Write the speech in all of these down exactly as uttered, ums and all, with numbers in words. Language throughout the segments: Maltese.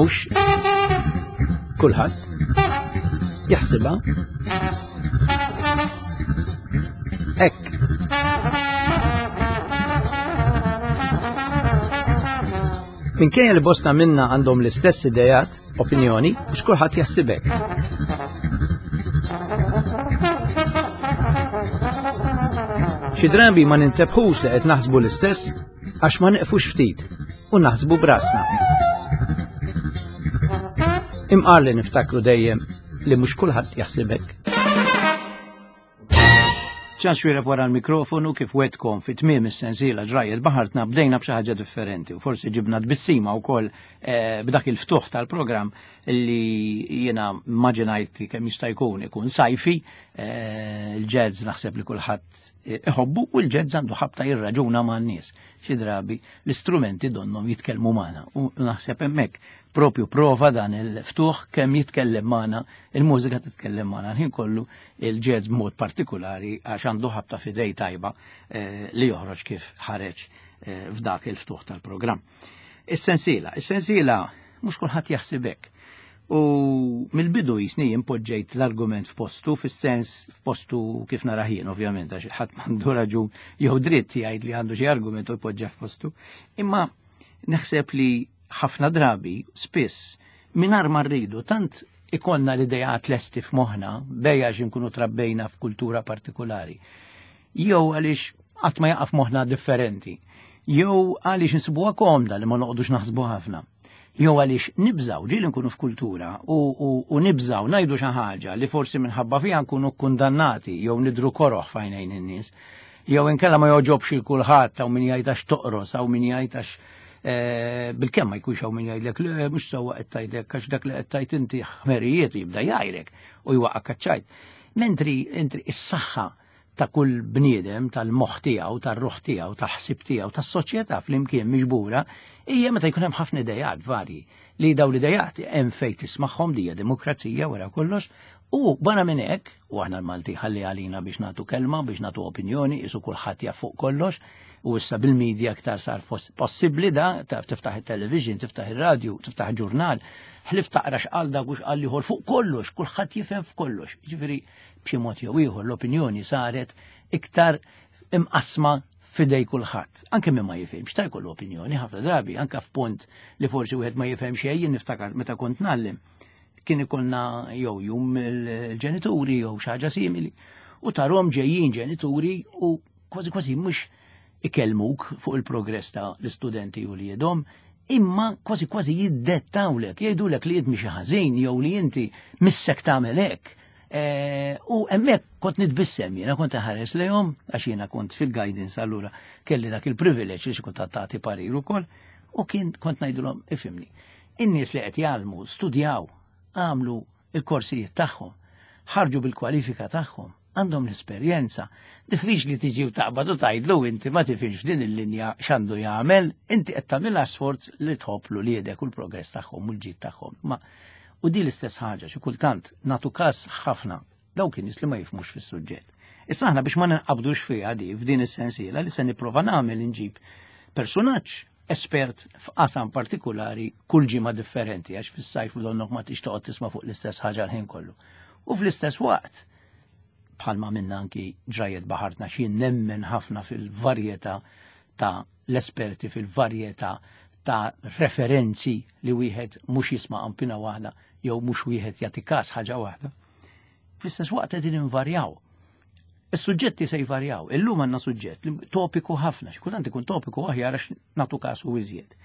Mhux kulħadd jaħsibha hekk. Minkejja li bosta minna għandhom l-istess idejat, opinjoni, mhux kulħadd jaħsib hekk. Xi drabi ma nintebħux li qed naħsbu l-istess għax ma neqfux ftit u naħsbu brasna. Imqar li niftakru dejjem li mhux kulħadd jaħsib hekk. Ċans Xuereb wara l-mikrofonu kif wetkom fi tmiem is-sensiela ġrajjet baħartna bdejna b'xi ħaġa differenti u forsi ġibna tbissima wkoll eh, b'dak il-ftuħ tal-programm li jiena immaġinajt kemm jista' jkun ikun sajfi, eh, il-jazz naħseb li kulħadd iħobbu u l-jazz għandu ħabta jirraġuna man-nies. Xi drabi l-istrumenti donnhom jitkellmu magħna u naħseb hemmhekk propju prova dan il-ftuħ kemm jitkellem magħna, il-mużika titkellem magħna l-ħin kollu, il-jazz b'mod partikolari għax għandu ħabta fidej tajba eh, li joħroġ kif ħareġ eh, f'dak il-ftuħ tal-programm. Is-sensiela, is-sensiela mhux kulħadd jaħsib hekk. U mill-bidu jisni impoġġejt l-argument f'postu, fis-sens f'postu kif nara jien, ovvjament, għax ħadd m'għandu raġun jew dritt jgħid li għandu xi argument u jpoġġa f'postu. Imma naħseb li ħafna drabi, spiss, mingħajr ma rridu, tant ikollna l-idejat lesti f'moħħna, bejja għax inkunu trabbejna f'kultura partikolari, jew għaliex qatt ma jaqaf moħħna differenti, jew għaliex insibuha komda li ma noqogħdux naħsbu ħafna, jew għaliex nibżaw, ġieli nkunu f'kultura u, u, u nibżaw ngħidu xi ħaġa li forsi minħabba fiha nkunu kkundannati jew nidru koroħ f'għajnejn in-nies, jew inkella ma joġobx il kulħadd hawn min jgħid għax toqros, hawn min jgħid għax eh, bilkemm ma jkunx hawn min jgħidlek le mhux sewwa qed tgħidlek għax dak li qed tgħid inti ħmerijiet jibda jgħajrek u jwaqqa' kaċċajt. Mentri intri is-saħħa ta' kull bniedem, tal-moħħ tiegħu, tar-ruħ tiegħu, tal-ħsieb tiegħu, tas-soċjetà flimkien miġbura, hija meta jkun hemm ħafna idejat varji li daw l-idejat hemm fejn tismagħhom li hija demokrazija wara kollox, u barra minn hekk, u aħna l-Malti ħalli għalina biex nagħtu kelma, biex nagħtu opinjoni, isu kulħadd jaf fuq kollox, u issa bil-medja aktar sar fos-, possibbli da, taf tiftaħ it-television, tiftaħ ir-radju, tiftaħ ġurnal, ħlif taqra x'qal dak u x'qal ieħor fuq kollox, kulħadd jifhem f'kollox. Jiġifieri b'xi mod jew ieħor l-opinjoni saret iktar imqasma f'idej kulħadd. Anke min ma jifhimx ta' jkollu opinjoni ħafna drabi, anke f'punt li forsi wieħed ma jifhem xejn, jien niftakar meta kont ngħallem, kien ikollna jew jum il-ġenituri jew xi ħaġa simili, u tarhom ġejjin ġenituri u kważi kważi mhux ikellmuk fuq il-progress ta' l-istudenti u li jedhom, imma kważi kważi jiddettawlek, jgħidulek li int mhix ħażin jew li inti missek tagħmel hekk. Eh, u hemmhekk kont nitbissem jiena, kont ħares lejhom għax jiena kont fil-guidance allura kelli dak il-privileġġ li xi kont tagħti parir ukoll, u kien kont ngħidulhom ifhimni. In-nies li qed jgħallmu studjaw, għamlu il-korsijiet tagħhom, ħarġu bil-kwalifika tagħhom, għandhom l-esperjenza. Diffiċli tiġi u taqbad u tgħidlu inti ma tifhimx f'din il-linja x'għandu jagħmel, inti qed tagħmilha sforz li tħobb l uliedek u l-progress tagħhom u l-ġid tagħhom. Ma u di l-istess ħaġa xi kultant nagħtu każ ħafna dawk in-nies li ma jifhmux fis-suġġett. Issa aħna biex ma ninqabdux fiha di f'din is-sensiela li se nipprova nagħmel inġib personaġġ espert f'qasam partikolari kull ġimgħa differenti għax fis-sajf donnok ma tix toqgħod tisma' fuq l-istess ħaġa l-ħin kollu. U fl-istess waqt bħalma minna anki ġrajiet baħartna xi nemmen ħafna fil-varjetà ta' l-esperti, fil-varjetà ta' referenzi li wieħed mhux jisma' qampina waħda jew mhux wieħed jagħti każ ħaġa waħda. Fl-istess waqt qegħdin invarjaw. Is-suġġetti se jvarjaw. Illum għandna suġġett li topiku ħafna, xi kultant ikun topiku aħjar għax nagħtu kasu iżjed.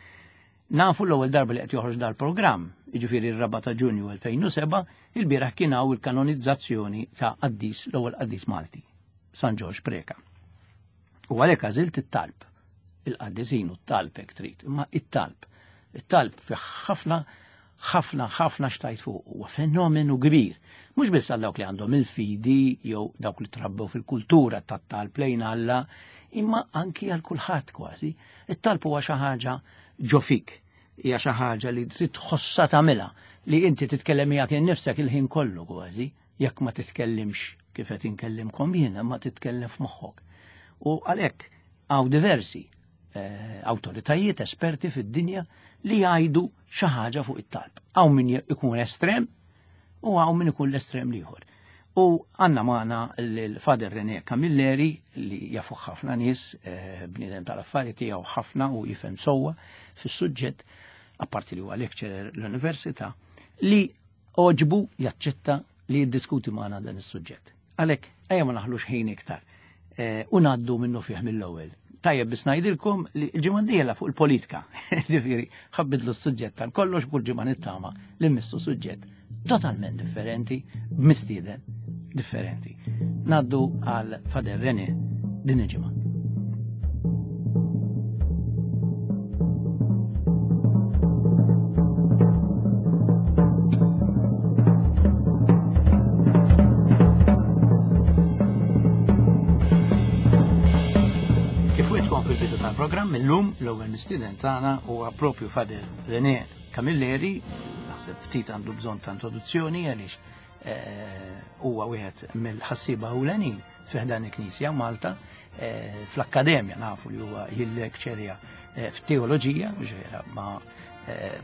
Nafu l-ewwel darba li qed joħroġ dal-programm, jiġifieri r-raba' ta' Ġunju elfejn u seba', il-bieraħ kien hawn il-kanonizzazzjoni ta' qaddis, l-ewwel qaddis Malti, San Ġorġ Preca. U għalhekk għażilt it-talb, il-qaddisin u t-talb hekk trid, imma it-talb. It-talb fih ħafna, ħafna, ħafna xtajt fuq, huwa fenomenu kbir. Mhux biss għal dawk li għandhom il-fidi jew dawk li trabbew fil-kultura tat-talb lejn Alla, imma anki għal kulħadd kważi. It-talb huwa xi ħaġa ġo fik, hija xi ħaġa li trid tħossha tagħmilha, li inti titkellem miegħek innifsek il-ħin kollu kważi, jekk ma titkellimx kif qed inkellimkom jiena, ma titkellem f'moħħok. U għalhekk hawn diversi eh, awtoritajiet, esperti fid-dinja li jgħidu xi ħaġa fuq it-talb. Hawn min ikun estrem u hawn min ikun l-estrem l-ieħor. U għanna maħna l-Father René Camilleri li jafuh ħafna nies, eh, bniedem tal-affari tiegħu ħafna u jifhem sewwa fis-suġġett, apparti li huwa lecturer l-università, li għoġbu jaċċetta li jiddiskuti maħna dan is-suġġett. Għalhekk, ejja ma naħlux ħin iktar eh, u ngħaddu minnu fih mill-ewwel. Tajjeb biss ngħidilkom li l-ġimgħa d-dieħla fuq il-politika, ġifieri ħabbidlu s-suġġett tal-kollox kull ġimgħa nittama li mmissu suġġett totalment differenti, b'mistieden differenti. Naddu għal Father René din il-ġimgħa. Kif wetkom fil-bidu tal-programm, illum l-ewwel mistieden tagħna huwa propju Father René Camilleri, naħseb ftit għandu bżonn ta' introduzzjoni għaliex huwa wieħed mill-ħassieba ewlenin fi ħdan il-Knisja Malta, fl-akkademja nafu li huwa jillekċerja f'teoloġija, ġifieri ma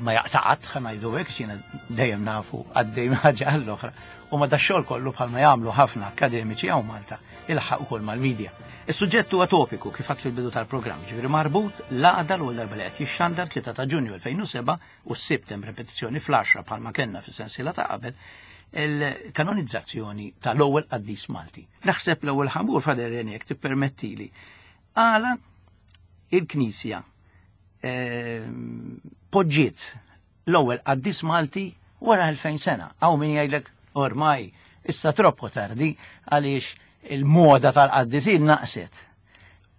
ma jaqtaqat ħa ngħidu hekk, x'jiena dejjem nafu għaddej ħaġa għall-oħra. U ma dax-xogħol kollu bħalma jagħmlu ħafna akkademiċi hawn Malta, ilħaq ukoll mal-medja. Is-suġġett huwa topiku kif għad fil-bidu tal-programm, ġifieri marbut l-għada l-ewwel darba li qed jixxandar tlieta ta' Ġunju elfejn u seba' u s-Sibt hemm repetizzjoni fl-għaxra bħalma kellna fis-sensiela ta' qabel, il-kanonizzazzjoni tal-ewwel qaddis Malti. Naħseb l-ewwel ħamur Father René jekk tippermettili. Għala il-Knisja poġġiet l-ewwel qaddis Malti wara elfejn sena. Hawn min jgħidlek ormai issa troppo tardi għaliex il-moda tal-qaddisin naqset.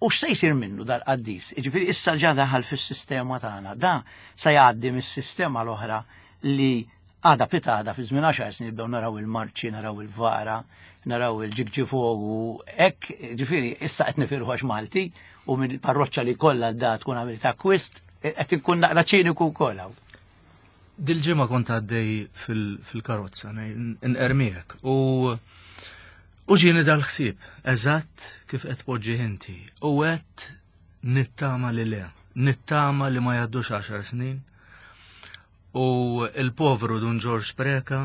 U x'se jsir minnu dal-qaddis? Jiġifieri issa ġa daħal fis-sistema tagħna. Da se jgħaddi mis-sistema l-oħra li għada pitada fi żmien għaxar snin nibdew naraw il-marċi, naraw il-vara, naraw il-ġigġifogu, hekk, ġifieri issa qed nifirħu għax Malti u mill-parroċċa li kollha da tkun għamilt akkwist, qed inkun naqra ċiniku wkoll hawn. Dil-ġimgħa kont għaddej fil-karozza, nqermiek, u u ġieni dal-ħsieb, eżatt kif qed poġġi inti, u qed nittama li le, nittama li ma jgħaddux għaxar snin, u il-povru Dun Ġorġ Preca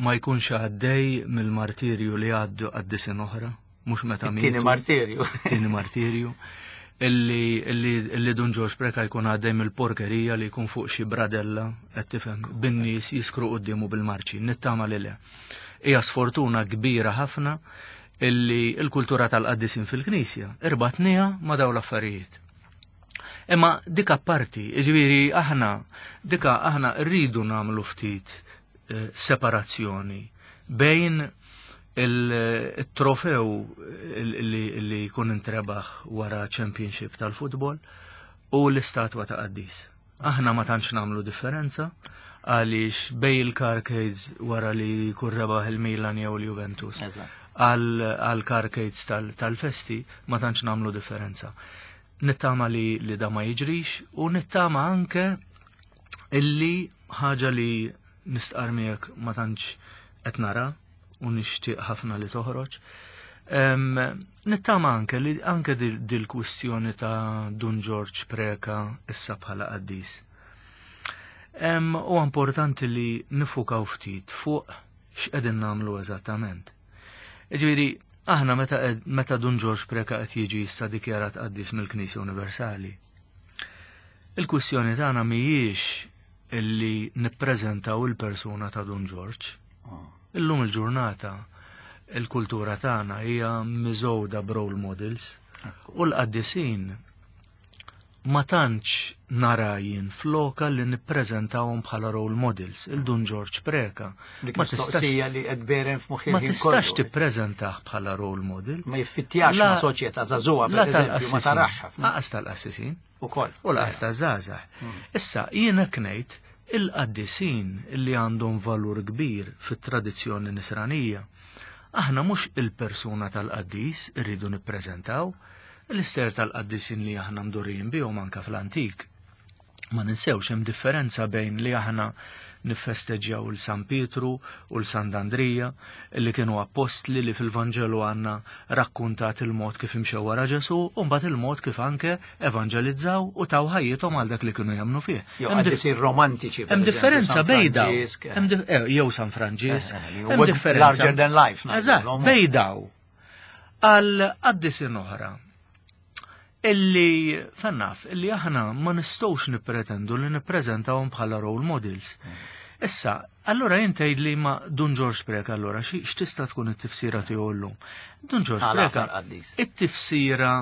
ma jkunx għaddej mill-martirju li għaddu qaddisin oħra, mhux meta mietu. It-tieni martirju. It-tieni martirju. Illi, illi, illi Dun Ġorġ Preca jkun għaddej mill-porkerija li jkun fuq xi bradella, qed tifhem, bin-nies jiskru quddiemu bil-marċi, nittama li le. Hija sfortuna kbira ħafna illi l-kultura tal-qaddisin fil-Knisja irbatniha ma' dawn l-affarijiet. Imma dik apparti, jiġifieri aħna, dika aħna rridu nagħmlu ftit eh, separazzjoni bejn il-trofew li, li jkun intrebaħ wara championship tal-futbol u l-istatwa ta' qaddis. Aħna ma tantx nagħmlu differenza għaliex bej il-carcades wara li jkun rebaħ il-Milan jew il-Juventus għal carcades tal-festi ma tantx nagħmlu differenza. Nittama li, li da ma jiġrix u nittama anke illi ħaġa li nistqar miegħek ma tantx qed nara u nixtieq ħafna li toħroġ. Um, nittama anke li anke dil-kwistjoni ta' Dun Ġorġ Preca issa bħala qaddis. Um, u importanti li nifukaw ftit fuq x'qegħdin nagħmlu eżattament. Jiġifieri aħna meta, meta Dun Ġorġ Preca qed jiġi issa dikjarat qaddis mill-Knisja Universali. Il-kwistjoni tagħna mhijiex illi nippreżentaw il-persuna ta' Dun Ġorġ. Illum il-ġurnata il-kultura tagħna hija miżgħuda b'role models u l-qaddisin ma tantx nara jien floka li nippreżentawhom bħala role models, il-Dun Ġorġ Preca. Ma tistax li qed berem f'moħħi. Ma tistax tippreżentah bħala role model. Ma jiffittjax ma' soċjetà żagħżugħa pereżempju, ma tarax ħafna. Aqas tal-qassisin. Ukoll. U laqas taż-żgħażagħ. Issa jien hekk ngħid il-qaddisin li għandhom valur kbir fit-tradizzjoni nisranija. Aħna mhux il-persuna tal-qaddis irridu nippreżentaw, l-ister tal-qaddisin li aħna mdurrijin bihom anke fl-antik. Ma ninsewx hemm differenza bejn li aħna Niffesteġġjaw il San Pietru u l Sant'Andrija li kienu appostli li fil-Vanġelu għandna rakkuntat il-mod kif imxew wara Ġesù u mbagħad il-mod kif anke evanġelizzaw u taw ħajjithom għal dak li kienu jemmnu fih. Jew qaddisin romantiċi. Hemm differenza bejn daw. Jew San Franġisk. Hemm differenza. Larger than life. Eżatt, bejn daw. Għal qaddisin oħra illi fannaf, illi aħna ma nistgħux nippretendu li nippreżentawhom bħala role models. Issa, allora jien tgħidli ma Dun Ġorġ Preca allora x'tista' tkun it-tifsira tiegħu llum? Dun Ġorġ Preca it-tifsira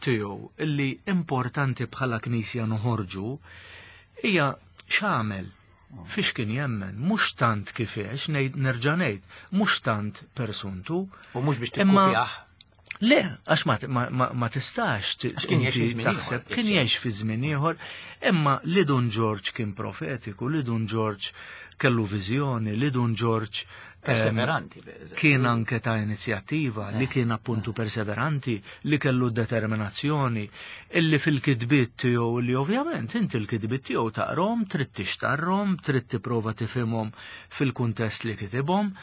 tiegħu illi importanti bħala Knisja noħorġu hija x'għamel, fiex kien jemmen, mhux tant kif għex, nerġa' ngħid, mhux tant persuntu. U mhux biex tikkupjah. Le, għax ma tistax taħseb, kien jgħix fi żmien ieħor, imma li Dun Ġorġ kien profetiku, li Dun Ġorġ kellu viżjoni, li Dun Ġorġ perseveranti, kien anke ta' inizjattiva, li kien appuntu perseveranti, li kellu determinazzjoni, illi fil-kitbiet tiegħu li ovvjament inti l-kitbiet tiegħu taqrom, trid tixtarhom, trid tipprova tifhimhom fil-kuntest li kitibhom.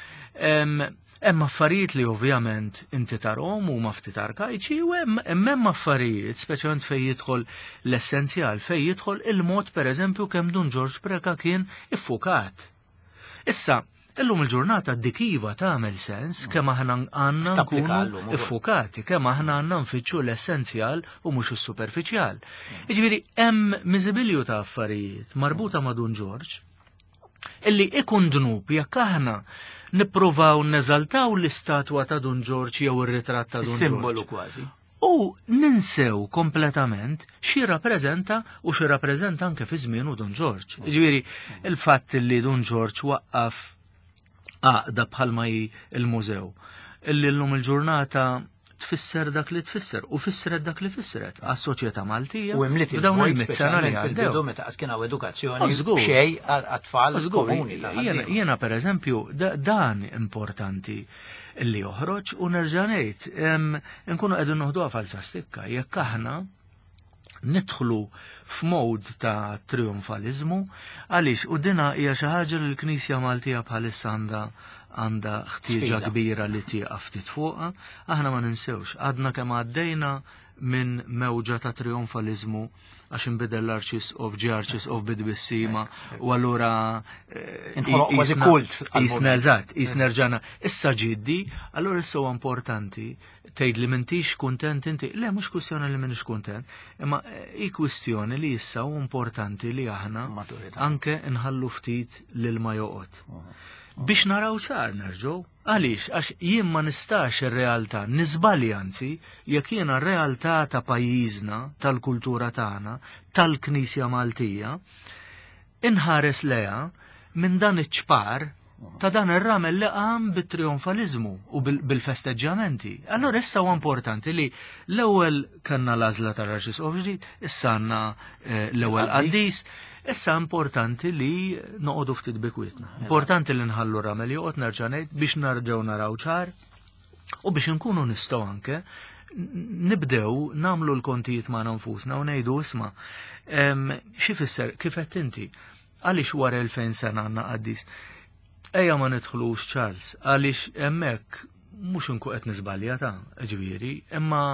Hemm affarijiet li ovvjament inti tarhom huma ftit arkajċi u hemm hemm affarijiet, speċjalment fejn jidħol l-essenzjal, fejn jidħol il-mod pereżempju kemm Dun Ġorġ Preca kien iffukat. Issa, illum il-ġurnata dik iva tagħmel sens kemm aħna għandna nkunu iffukati, kemm aħna għandna nfittxu l-essenzjal u mhux is-superfiċjal. Jiġifieri hemm miżibilju ta' affarijiet marbuta ma' Dun Ġorġ illi ikun dnub jekk aħna nippruvaw neżaltaw l-istatwa ta' Dun Ġorġ jew ir-ritratt ta' Dun Ġorġ. Simbolu kważi. U ninsew kompletament xi rappreżenta u xi rappreżenta anke fi żmienu Dun Ġorġ. Jiġifieri il-fatt li Dun Ġorġ waqqaf għaqda bħalma hi il-mużew, illi llum il-ġurnata tfisser dak li tfisser u fissret dak li fissret għas-soċjetà Maltija. U imliet il-dawn il-mitt sena li għaddew meta qas kien hawn edukazzjoni xejn għat-tfal komuni. Jiena pereżempju dan importanti li joħroġ u nerġa' ngħid nkunu qegħdin noħduha falsa stikka jekk aħna nidħlu f'mod ta' trionfalizmu għaliex u dina hija xi ħaġa li l-Knisja Maltija bħalissa għandha għandha ħtieġa kbira li tieqaf ftit fuqha. Aħna ma ninsewx, għadna kemm għaddejna minn mewġa ta' trionfalizmu għax inbidel l-arċisqof, ġie arċisqof bid-bissima u allura inħoloq kważi kult. Isna eżatt, isna rġana. Issa ġiddi, allura issa huwa importanti tgħid li m'intix kuntent inti. Le, mhux kwistjoni li m'inix kuntent, imma hi kwistjoni li issa hu importanti li aħna anke nħallu ftit lil ma joqgħod. Biex naraw ċar nerġgħu. Għaliex, għax jien ma nistax ir-realtà, niżbalji anzi, jekk jiena r-realtà ta' pajjiżna, tal-kultura tagħna, tal-Knisja Maltija, inħares leha minn dan iċ-ċpar ta' dan ir-ramel li qam bit-trionfalizmu u bil-festeġġjamenti. Allora issa huwa importanti li l-ewwel kellna l-għażla tal-Arċisqof ġdid, issa għandna l-ewwel qaddis. Issa importanti li noqogħdu ftit bikwietna. Importanti li nħallu ramel joqgħod nerġa' ngħid biex nerġgħu naraw ċar u biex inkunu nistgħu anke nibdew nagħmlu l-kontijiet magħna nfusna u ngħidu isma' xi fisser kif qed inti għaliex wara elfejn sena għandna qaddis. Ejja ma nidħlux Charles għaliex hemmhekk mhux inkun qed niżbalja ta' ġifieri, imma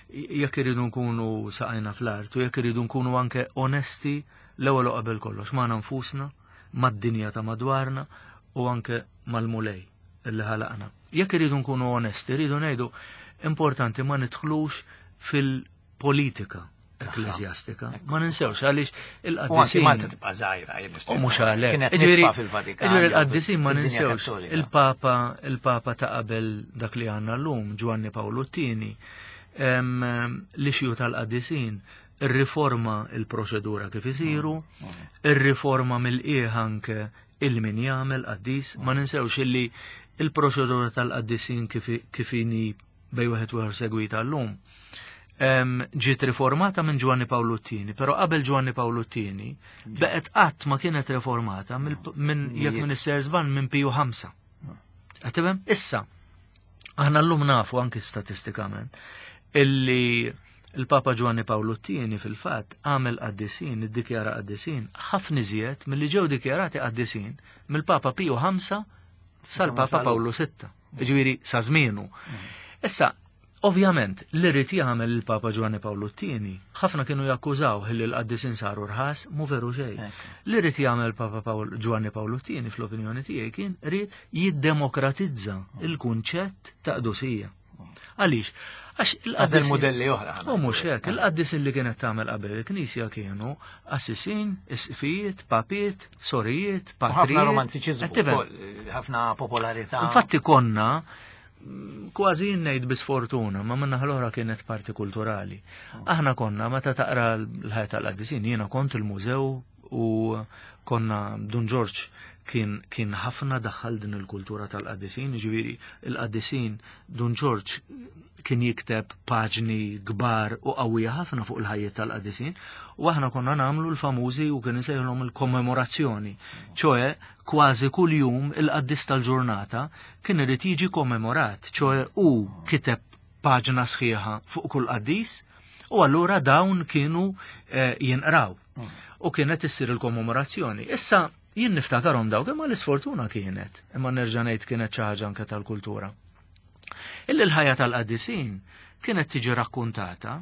jekk iridu nkunu saqajna fl-art u jekk iridu nkunu anke onesti l-ewwel u qabel kollox magħna nfusna, mad-dinja ta' madwarna u anke mal-Mulej illi ħalaqna. Jekk iridu nkunu onesti, iridu ngħidu importanti ma nidħlux fil-politika ekklesjastika. Ma ninsewx għaliex il-qaddisin. Malta tibqa' żgħira. U mhux għalhekk. Ġifieri il-qaddisin ma ninsewx. Il-Papa, il-Papa ta' qabel dak li għandna llum, Ġwanni Pawlu t-tieni, l-ixju tal-qaddisin, ir-riforma il-proċedura kif isiru, ir-riforma mill-qiegħ anke il-min jagħmel qaddis, ma ninsewx illi il-proċedura tal-qaddisin kif inhi bej wieħed u ieħor segwita llum. Ġiet riformata minn Ġwanni Pawlu t-tieni, però qabel Ġwanni Pawlu t-tieni beqgħet qatt ma kienet riformata minn jekk minn isser żball minn Piju ħamsa. Qed tifhem? Issa aħna llum nafu anke statistikament illi Il-Papa Ġwanni Pawlu t-tieni fil-fatt għamel qaddisin, iddikjara qaddisin, ħafna iżjed milli ġew dikjarati qaddisin mill-Papa Piju ħamsa sal-Papa Pawlu sitta. Ġifieri sa żmienu. Issa, ovvjament, li rrid jagħmel il-Papa Ġwanni Pawlu t-tieni, ħafna kienu jakkużaw li l-qaddisin saru rħas, mhu veru xejn. Li rrid jagħmel Papa Ġwanni Pawlu t-tieni fl-opinjoni tiegħi kien ried jiddemokratizza il-kunċett ta' qdusija. Għaliex? Għax il-qaddisin modelli oħra. U mhux hekk, il-qaddisin li kienet tagħmel qabel il-Knisja kienu assisin, isqfijiet, papiet, sorijiet, patrijiet. Ħafna romantiċiżmu, ħafna popolarità. Infatti konna kważi ngħid bi sfortuna, ma minna l-oħra kienet parti kulturali. Aħna konna meta taqra l-ħajja tal-qaddisin, jiena kont il-mużew u konna Dun Ġorġ kien kien ħafna daħħal din il-kultura tal-qaddisin, ġifieri il-qaddisin Dun Ġorġ kien jikteb paġni kbar u qawwija ħafna fuq il-ħajja tal-qaddisin, u aħna konna nagħmlu l-famużi u kien isejħulhom il-kommemorazzjoni, ċoe kważi kuljum il-qaddis tal-ġurnata kien irid jiġi kommemorat, ċoe hu kiteb paġna sħiħa fuq kull qaddis, u allura dawn kienu eh, jinqraw. U kienet issir il-kommemorazzjoni. Issa jien niftakarhom dawk, imma l-isfortuna kienet, imma nerġa' ngħid kienet xi ħaġa anke tal-kultura. Illi l-ħajja tal-qaddisin kienet tiġi rakkuntata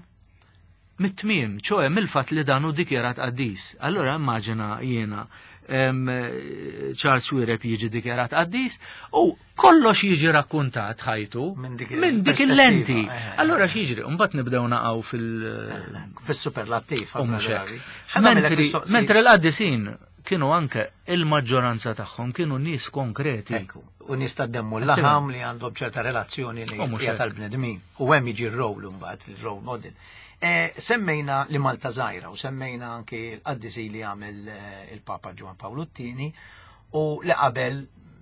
mit-tmiem, ċoe mill-fatt li dan hu dikjarat qaddis. Allura immaġina jiena Charles Xuereb jiġi dikjarat qaddis u kollox jiġi rakkuntat ħajtu minn dik il-lenti. Allura x'jiġri? Mbagħad nibdew naqgħu fil- fis-superlattiv. Mentri l-qaddisin kienu anke il-maġġoranza tagħhom kienu nies konkreti. U nies tad-demmu l-laħam li għandhom ċerta relazzjoni li hija tal-bnedmin. U hemm jiġi r-role mbagħad, il-role model. Semmejna li Malta żgħira u semmejna anke l-qaddisi li għamel il-Papa Ġwann Pawlu t-tieni u li qabel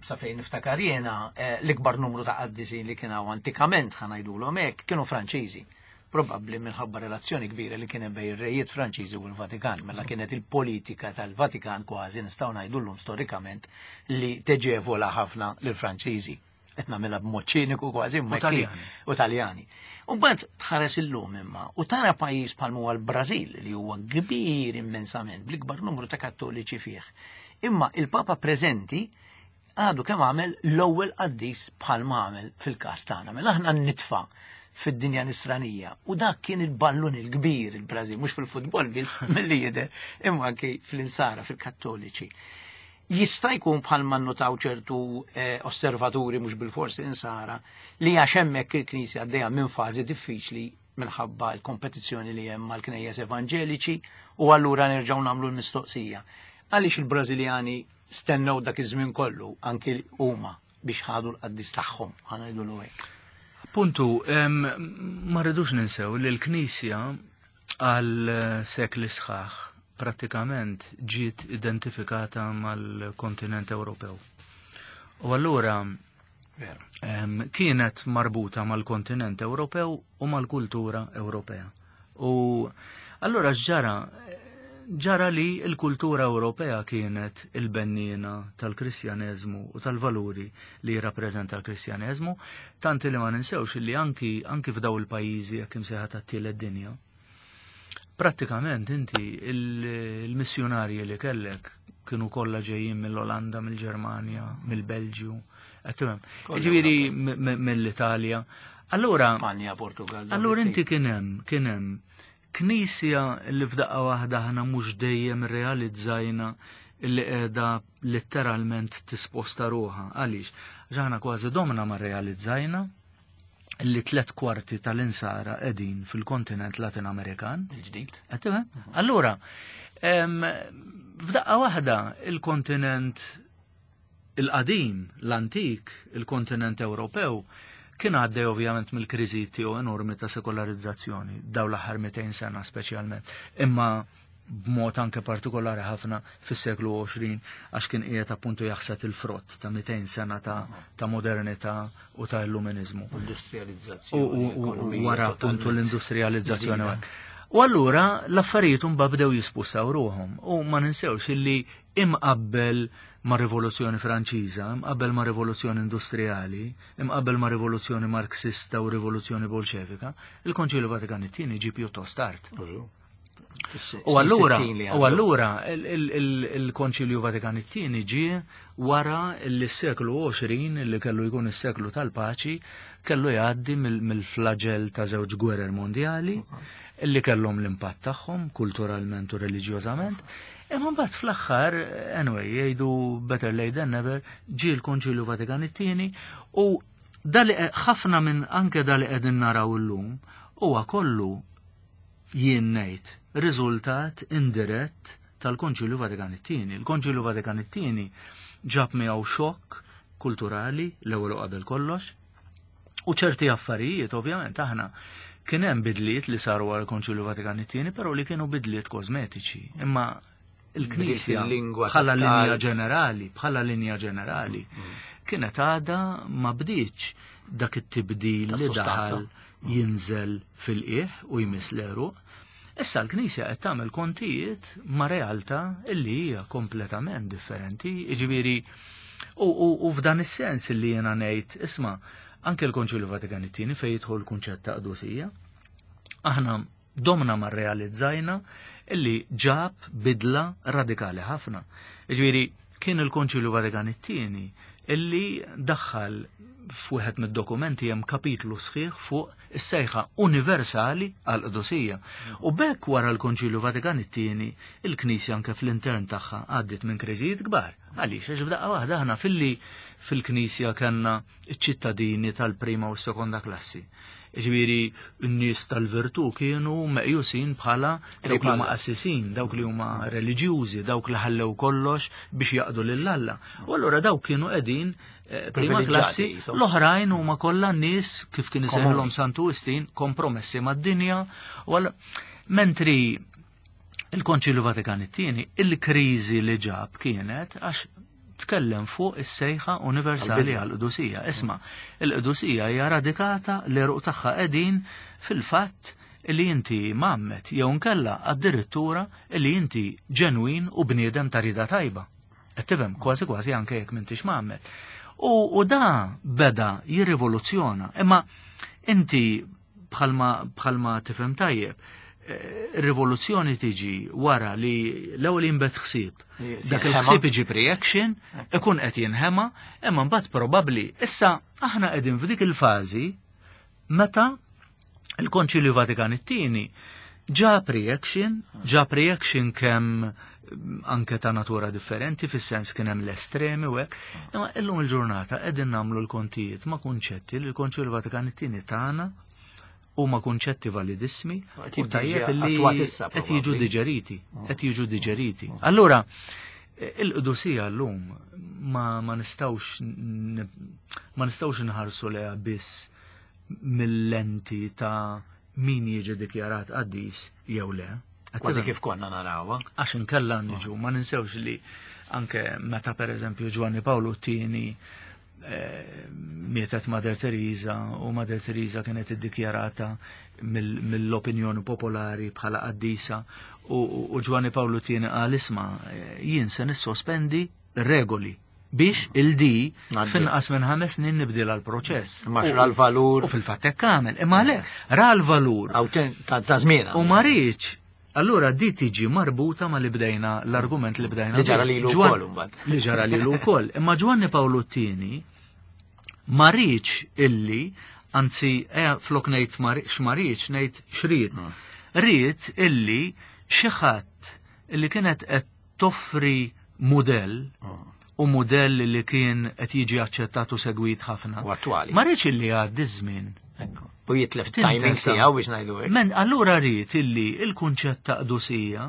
sa fejn niftakar jiena l-ikbar numru ta' qaddisin li kien hawn antikament ħa ngħidulhom hekk kienu Franċiżi. Probabbli minħabba relazzjoni kbira li kien hemm bejn ir-rejiet Franċiżi u l-Vatikan, mela kienet il-politika tal-Vatikan kważi nistgħu ngħidulhom storikament li teġevola ħafna lill-Franċiżi. Qed nagħmilha b'mod ċiniku kważi imma u Taljani. U mbagħad tħares illum imma u tara pajjiż bħal huwa l-Brażil li huwa kbir immensament bl-ikbar numru ta' kattoliċi fih. Imma il-Papa preżenti għadu kemm għamel l-ewwel qaddis bħal ma għamel fil-każ tagħna. Mela aħna nitfa' fid-dinja nisranija. U dak kien il-ballun il-kbir il-Brażil, mhux fil-futbol biss milli jidher, imma anki fl-insara, fil-kattoliċi. Jista' jkun bħalma nnotaw ċertu eh, osservaturi mhux bil-forsi insara li għax hemmhekk il-Knisja għaddejja minn fażi diffiċli minħabba l-kompetizzjoni li hemm mal-knejjes evanġeliċi u allura nerġgħu nagħmlu l-mistoqsija. Għaliex il-Brażiljani stennew dak iż-żmien kollu anki huma biex ħadu l-qaddis tagħhom, ħa ngħidulu hekk. Puntu, ma rridux ninsew li l-Knisja għal sekli sħaħ prattikament ġiet identifikata mal-kontinent Ewropew. U allura kienet marbuta mal-kontinent Ewropew u mal-kultura Ewropea. U allura ġara ġara li l-kultura Ewropea kienet il-benniena tal-Kristjaneżmu u tal-valuri li jirrappreżenta l-Kristjaneżmu, tanti li ma ninsewx li anki anki f'daw il-pajjiżi jekk imsejħa tat-tielet dinja. Prattikament inti il-missjonarji li kellek kienu kollha ġejjin mill-Olanda, mill-Ġermanja, mill-Belġju, ġifieri mill-Italja. Allura Spanja, Portugal. Allura inti kien hemm kien hemm knisja li f'daqqa waħda aħna mhux dejjem realizzajna li qiegħda letteralment tisposta ruħha. Għaliex? Għax aħna kważi domna ma realizzajna li tliet kwarti tal-insara qegħdin fil-kontinent Latin Amerikan. Il-ġdid. Allura, f'daqqa waħda il-kontinent il-qadim, l-antik, il-kontinent Ewropew, kien għaddej ovvjament mill-kriżi tiegħu enormi ta' sekolarizzazzjoni, daw l-aħħar mitejn sena speċjalment, imma b'mod anke partikolari ħafna fis-seklu għoxrin għax kien qiegħed appuntu jaħsad il-frott ta' mitejn sena ta', ta' modernità u ta' illuminizmu. Industrializzazzjoni. U wara appuntu l-industrializzazzjoni. U allura l-affarijiet imbagħad bdew jispussaw ruħhom u ma ninsewx illi Imqabbel ma' Rivoluzzjoni Franċiża, imqabbel ma' Rivoluzzjoni Industrijali, imqabbel ma' Rivoluzzjoni Marxista u Rivoluzzjoni Bolxevika, il-Konċilju Vatikan it-tieni ġie pjuttost tard. U allura, u allura il-Konċilju Vatikan it-tieni ġie wara li s-seklu għoxrin, li kellu jkun is-seklu tal-paċi, kellu jgħaddi mill-flagell ta' żewġ gwerer mondjali, li kellhom l-impatt tagħhom kulturalment u reliġjożament. Imma mbagħad fl-aħħar, anyway, jgħidu better late than never, ġie l-Konċilju Vatikan it-tieni u dali ħafna minn anke dali qegħdin naraw illum huwa kollu jien ngħid riżultat indirett tal-Konċilju Vatikan it-tieni. Il-Konċilju Vatikan it-tieni ġab miegħu xokk kulturali l-ewwel u qabel kollox u ċerti affarijiet ovvjament aħna kien hemm bidliet li saru għal Konċilju Vatikan it-tieni, però li kienu bidliet kosmetiċi. Imma il-Knisja bħala linja ġenerali, bħala linja ġenerali, kienet għada ma bdietx dak it-tibdil li daħal jinżel fil-qiegħ u jmiss l-għeruq. Issa l-Knisja qed tagħmel kontijiet ma' realtà illi hija kompletament differenti, jiġifieri u f'dan is-sens illi jiena ngħid, isma' anke l-Konċilju Vatikan it-tieni fejn jidħol l-kunċett ta' qdusija, aħna domna ma rrealizzajna illi ġab bidla radikali ħafna. Jiġifieri kien il-Konċilju Vatikan it-tieni illi daħħal f'wieħed mid-dokumenti hemm kapitlu sħiħ fuq is-sejħa universali għal qdusija. U bekk wara l-Konċilju Vatikan it-tieni il-Knisja anke fl-intern tagħha għaddiet minn kriżijiet kbar. Għaliex għax f'daqqa waħda aħna filli fil-Knisja kellna ċ-ċittadini tal-prima u s-sekonda klassi. Ġifieri n-nies tal-virtù kienu meqjusin bħala dawk li huma qassisin, dawk li huma reliġjużi, dawk li ħallew kollox biex jaqdu lil Alla. U allura dawk kienu qegħdin prima klassi, l-oħrajn huma kollha nies kif kien isejħilhom Santu Wistin kompromessi mad-dinja. Mentri il-Konċilju Vatikan it-tieni, il-kriżi li ġab kienet għax tkellem fuq is-sejħa universali għall-qdusija. Isma', il-qdusija hija radikata l-għeruq tagħha qegħdin fil-fatt li inti mgħammed jew nkella addirittura li inti ġenwin u bniedem ta' rida tajba. Qed tifhem kważi kważi anke jekk m'intix mgħammed. U da beda jirrivoluzzjona. Imma inti bħalma bħalma tifhem tajjeb, rivoluzzjoni tiġi wara li l-ewwel jinbet ħsieb. Dak il-ħsieb iġib reaction, ikun qed jinħema, imma mbagħad probabbli issa aħna qegħdin f'dik il-fażi meta il-Konċilju Vatikan it-tieni ġab reaction, ġab reaction kemm anke ta' natura differenti, fis-sens kien hemm l-estremi u hekk, imma illum il-ġurnata qegħdin nagħmlu l-kontijiet ma' kunċetti li l-Konċilju Vatikan it-tieni tagħna huma kunċetti validissimi u tajjeb li qed jiġu diġeriti, qed jiġu diġeriti. Allura il-qdusija llum ma ma nistgħux ma nistgħux inħarsu leha biss mill-lenti ta' min jiġi dikjarat qaddis jew le. Kważi kif konna narawha. Għax inkella niġu, ma ninsewx li anke meta pereżempju Ġwanni Pawlu t-tieni mietet Mother Teresa u Mother Teresa kienet iddikjarata mill-opinjoni popolari bħala qaddisa u Ġwanni Pawlu t-tieni qal isma' jien se nissospendi regoli biex il-di finqas minn ħames snin nibdil għal-proċess. Ma ra l-valur. U fil-fatt hekk għamel. Imma le, ra l-valur. Ta' żmiena. U ma rridx. Allura di tiġi marbuta ma li bdejna l-argument li bdejna. Li ġara lilu wkoll imbagħad. Li ġara lilu wkoll. Imma Ġwanni Pawlu t-tieni ma rridx illi, anzi flok ngħid x'ma rridx ngħid x'rid. Ried illi xi ħadd illi kienet qed toffri mudell u mudell li kien qed jiġi aċċettat u segwit ħafna. U attwali. Ma rridx illi għaddi żmien. U jitlef timing tiegħu biex ngħidu hekk. Men allura rrid illi il-kunċett ta' qdusija